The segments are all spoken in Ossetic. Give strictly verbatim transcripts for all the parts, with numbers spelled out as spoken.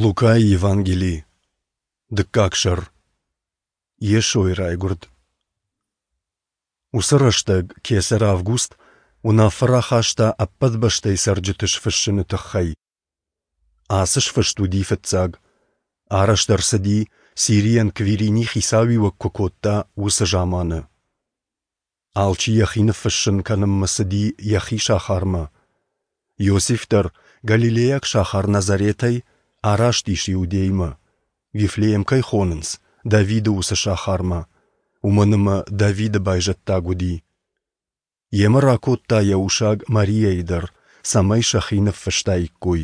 Лукайы Евангели, дыккаг сӕр. Йесойы райгуырд. Уыцы рӕстӕг кесӕр Август уынаффӕ рахаста ӕппӕт бӕстӕйы цӕрджыты сфыссыны тыххӕй. Ацы сфыст уыди фыццаг. Арӕзт ӕрцыди, Сирийӕн Квирини хицауиуӕг куы кодта, уыцы заманы. Алчи йӕхи ныффыссын кӕнынмӕ цыди йӕхи сахармӕ. Иосиф дӕр галилейаг сахар Назаретӕй араст ис Иудеймӕ, Вифлеем кӕй хонынц, Давиды уыцы сахармӕ, уымӕн ӕмӕ Давиды байзӕддаг уыди. Йемӕ ракодта йӕ усаг Мариайы дӕр, цӕмӕй сӕхи ныффыстаиккой.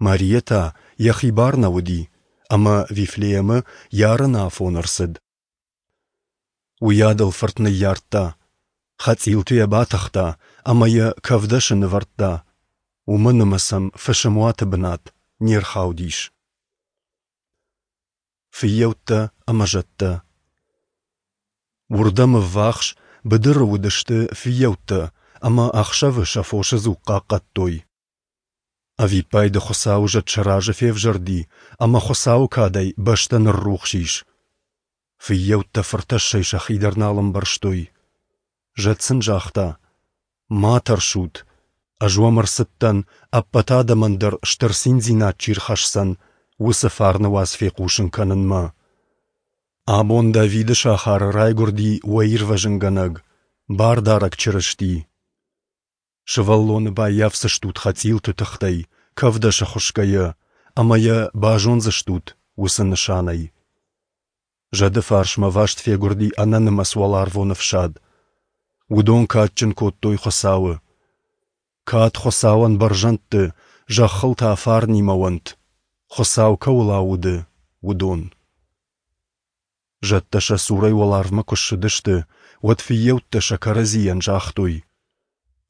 Мариа та йӕхи бар нӕ уыди, ӕмӕ Вифлеемы йӕ арыны афон ӕрцыд. Уыйадыл фырт ныййардта, хӕцъилты йӕ батыхта ӕмӕ йӕ кӕвдӕсы нывӕрдта, уымӕн ӕмӕ сӕм фысымуаты бынат не рхаудис. Фыййӕуттӕ ӕмӕ зӕдтӕ. Уырдӕм ӕввахс быдыры уыдысты фыййӕуттӕ ӕмӕ ӕхсӕвы сӕ фосы дзуг хъахъхъӕдтой. Ӕвиппайды Хуыцауы зӕд сӕ разы февзӕрди, ӕмӕ Хуыцауы кадӕй бӕстӕ ныррухс ис. Фыййӕуттӕ фыртӕссӕй сӕхи дӕр нал ӕмбӕрстой. Зӕд сын загъта: Ма тӕрсут, ӕз уӕм ӕрцыдтӕн, ӕппӕт адӕмӕн дӕр стыр циндзинад чи рхӕсдзӕн, уыцы фарны уац фехъусын кӕнынмӕ. Абон Давиды сахары райгуырди уӕ Ирвӕзынгӕнӕг, Бардарӕг Чырысти. Сывӕллоны баййафдзыстут хӕцъилты тыхтӕй, кӕвдӕсы хуысгӕйӕ, ӕмӕ йӕ базондзыстут уыцы нысанӕй. Зӕды фарсмӕ васт фегуырди ӕнӕнымӕц уӕларвон ӕфсад. Уыдон кадджын кодтой Хуыцауы. Кад Хуыцауӕн бӕрзӕндты, зӕххыл та фарнимӕ уӕнт, Хуыцау кӕуыл ауды, уыдон. Зӕдтӕ сӕ цурӕй уӕларвмӕ куы ссыдысты, уӕд фыййӕуттӕ сӕ кӕрӕдзийӕн загътой: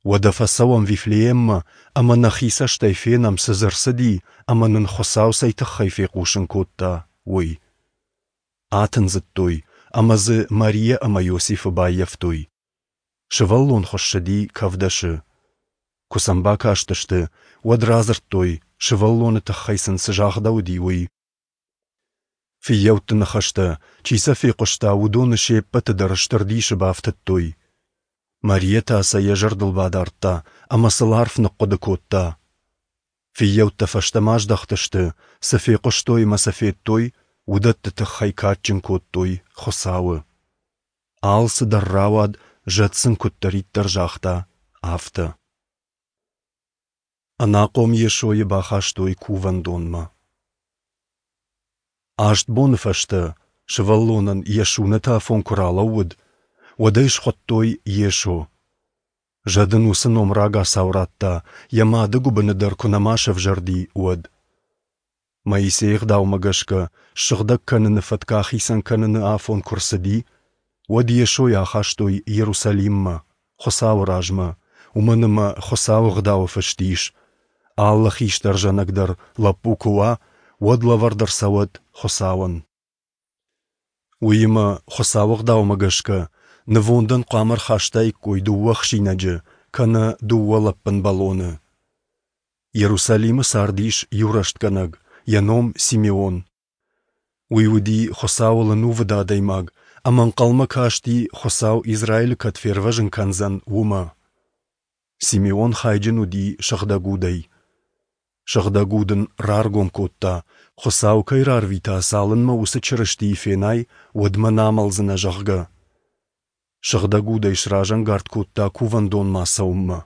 Уӕдӕ фӕцӕуӕм Вифлееммӕ ӕмӕ нӕхи цӕстӕй фенӕм, цы дзы ӕрцыди ӕмӕ нын Хуыцау цӕй тыххӕй фехъусын кодта, уый. Атындзыдтой ӕмӕ дзы Мариа ӕмӕ Иосифы баййӕфтой. Сывӕллон хуыссыди кӕвдӕсы. Куы сӕм бакастысты, уӕд радзырдтой, сывӕллоны тыххӕй сын цы загъдӕуыди, уый. Фыййӕутты ныхӕстӕ, чи сӕ фехъуыста, уыдоны се ппӕты дӕр стыр дисы бафтыдтой. Мариа та сӕ йӕ зӕрдыл бадардта ӕмӕ сыл арф ныхъхъуыды кодта. Фыййӕуттӕ фӕстӕмӕ аздӕхтысты, цы фехъуыстой ӕмӕ цы федтой, уыдӕтты тыххӕй кадджын кодтой Хуыцауы. Алцыдӕр рауад, зӕд сын куыддӕриддӕр загъта, афтӕ. Ӕнахъом Йесойы бахастой кувӕндонмӕ. Аст боны фӕстӕ сывӕллонӕн йӕ сунӕты афон куы ралӕууыд, уӕд ӕй схуыдтой Йесо. Зӕд ын уыцы ном рагацау радта, йӕ мады гуыбыны дӕр куы нӕма сӕвзӕрди, уӕд. Моисейы ӕгъдаумӕ гӕсгӕ ссыгъдӕг кӕныны фӕтк ахицӕн кӕныны афон куы рцыди, уӕд Йесойы ахастой Иерусалиммӕ, Хуыцауы размӕ, уымӕн ӕмӕ Хуыцауы ӕгъдауы фыст ис: алы хистӕр зӕнӕг дӕр лӕппу куы уа, уӕд лӕвӕрд ӕрцӕуӕд Хуыцауӕн. Уыимӕ, Хуыцауы ӕгъдаумӕ гӕсгӕ, нывондӕн хъуамӕ ӕрхастаиккой дыууӕ ӕхсинӕджы кӕнӕ дыууӕ лӕппын бӕлоны. Иерусалимы цардис иу рӕстгӕнӕг, йӕ ном Симеон. Уый уыди Хуыцауыл ӕнувыд адӕймаг ӕмӕ ӕнхъӕлмӕ касти, Хуыцау Израилы кӕд фервӕзын кӕндзӕн, уымӕ. Симеон хайджын уыди Сыгъдӕг Удӕй. Сыгъдӕг Уд ын раргом кодта, Хуыцау кӕй рарвита, цалынмӕ уыцы Чырыстийы фенай, уӕдмӕ нӕ амӕлдзынӕ, зӕгъгӕ. Сыгъдӕг Удӕй сразӕнгард кодта кувӕндонмӕ ацӕуынмӕ,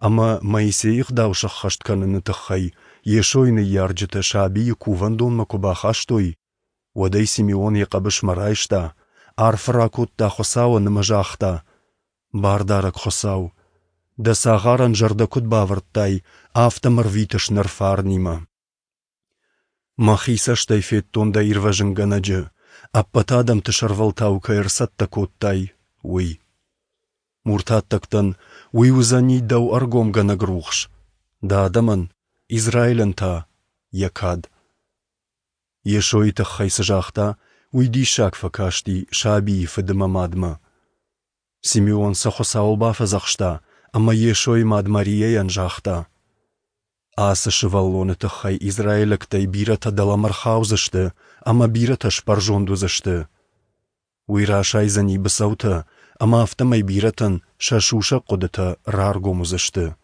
ӕмӕ Моисейы ӕгъдау сӕххӕст кӕныны тыххӕй Йесойы ныййарджытӕ сабийы кувӕндонмӕ куы бахастой, уӕд ӕй Симеон йӕ хъӕбысмӕ райста, арфӕ ракодта Хуыцауӕн ӕмӕ загъта: Бардарӕг Хуыцау, дӕ цагъарӕн зӕрдӕ куыд бавӕрдтай, афтӕ мӕ рвитыс ныр фарнимӕ. Мӕхи цӕстӕй федтон дӕ Ирвӕзынгӕнӕджы, ӕппӕт адӕмты сӕрвӕлтау кӕй ӕрцӕттӕ кодтай, уый. Муртаттӕгтӕн уый уыдзӕни дӕу ӕргомгӕнӕг рухс, дӕ адӕмӕн, Израилӕн та, йӕ кад. Йесойы тыххӕй цы загъта, уый диссаг фӕкасти сабийы фыд ӕмӕ мадмӕ. Симеон сӕ Хуыцауыл бафӕдзӕхста ӕмӕ Йесойы мад Мариайӕн загъта: Ацы сывӕллоны тыххӕй израилӕгтӕй бирӕтӕ дӕлӕмӕ рхаудзысты ӕмӕ бирӕтӕ сбӕрзонд уыдзысты. Уый расайдзӕни быцӕутӕ, ӕмӕ афтӕмӕй бирӕтӕн сӕ сусӕг хъуыдытӕ раргом уыдзысты.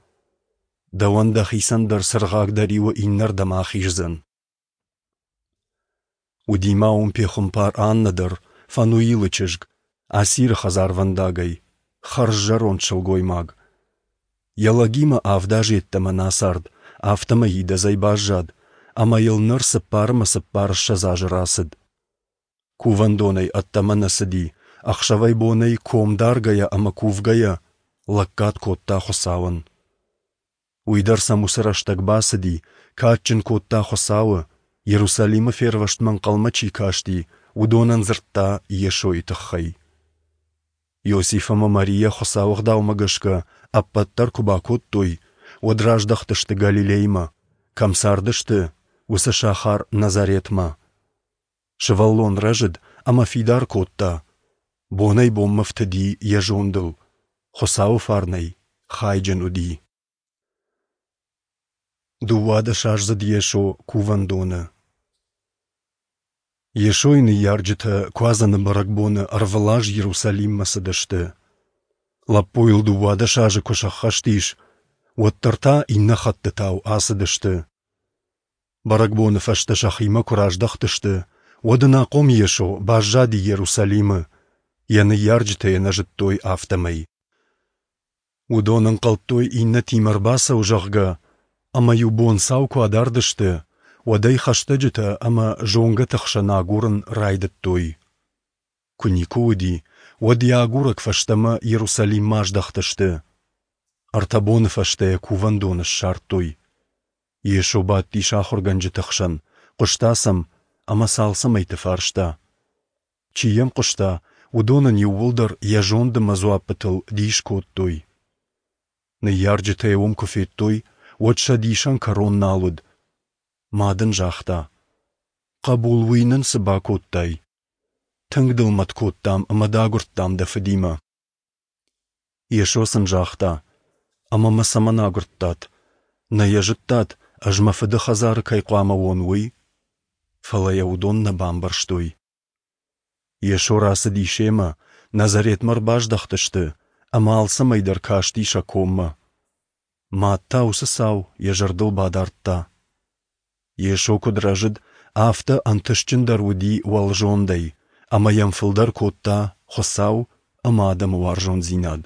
Дӕуӕн дӕхицӕн дӕр цыргъаг дӕ риуы иннӕрдӕм ахиздзӕн. Уыди ма уым пехуымпар Аннӕ дӕр, Фануилы чызг, Асиры хӕдзарвӕндагӕй, хӕрз зӕронд сылгоймаг. Йӕ лӕгимӕ авд азы йеддӕмӕ нӕ ацард, афтӕмӕй идӕдзӕй баззад, ӕмӕ йыл ныр цыппар ӕмӕ цыппарыссӕдз азы рацыд. Кувӕндонӕй ӕддӕмӕ нӕ цыди, ӕхсӕвӕй-бонӕй ком даргӕйӕ ӕмӕ кувгӕйӕ лӕггад кодта Хуыцауӕн. Уый дӕр сӕм уыцы рӕстӕг бацыди, кадджын кодта Хуыцауы, Иерусалимы фервӕзтмӕ ӕнхъӕлмӕ чи касти, уыдонӕн дзырдта Йесойы тыххӕй. Иосиф ӕмӕ Марийӕ Хуыцауы ӕгъдаумӕ гӕсгӕ ӕппӕт дӕр куы бакодтой, уӕд раздӕхтысты Галилеймӕ, кӕм цардысты, уыцы сахар Назаретмӕ. Сывӕллон рӕзыд ӕмӕ фидар кодта, бонӕй-бонмӕ фтыди йӕ зондыл, Хуыцауы фарнӕй хайджын уыди. Дыууадӕсаздзыд Йесо кувӕндоны. Йесойы ныййарджытӕ Куадзӕны бӕрӕгбоны ӕрвылаз Иерусалиммӕ цыдысты. Лӕппуйыл дыууадӕс азы куы сӕххӕст ис, уӕддӕр та иннӕ хӕттытау ацыдысты. Бӕрӕгбоны фӕстӕ сӕхимӕ куы раздӕхтысты, уӕд ӕнахъом Йесо баззади Иерусалимы, йӕ ныййарджытӕ йӕ нӕ зыдтой, афтӕмӕй. Уыдон ӕнхъӕлдтой, иннӕтимӕ ӕрбацӕуы, зӕгъгӕ, ӕмӕ-иу бонцау куы адард сты, уӕд ӕй хӕстӕджытӕ ӕмӕ зонгӕты хсӕн агурын райдыдтой. Куы никуы уыди, уӕд йӕ агурӕг фӕстӕмӕ Иерусалиммӕ аздӕхтысты. Ӕртӕ боны фӕстӕ йӕ кувӕндоны ссардтой. Йесо бадтис ахуыргӕнджыты хсӕн, хъуыста сӕм ӕмӕ сӕ алцӕмӕйты фарста. Чи йӕм хъуыста, уыдон ын иууылдӕр йӕ зонд ӕмӕ дзуаппытыл дис кодтой. Ныййарджытӕ йӕ уым куы федтой, уӕд сӕ дисӕн кӕрон нал уыд. Мад ын загъта: «Хъӕбул, уый нын цы бакодтай? Тынг дыл мӕт кодтам ӕмӕ дӕ агуырдтам дӕ фыдимӕ». Йесо сын загъта: «Ӕмӕ мӕ цӕмӕн агуырдтат? Нӕ йӕ зыдтат, ӕз мӕ фыды хӕдзары кӕй хъуамӕ уон, уый?» Фӕлӕ йӕ уыдон нӕ бамбӕрстой. Йесо рацыди семӕ, Назаретмӕ ӕрбаздӕхтысты, ӕмӕ алцӕмӕй дӕр касти сӕ коммӕ. Мад та уыцы цау йӕ зӕрдыл бадардта. Йесо куыд рӕзыд, афтӕ ӕнтыстджындӕр уыди уӕлзондӕй, ӕмӕ йӕм фылдӕр кодта Хуыцау ӕмӕ адӕмы уарзондзинад.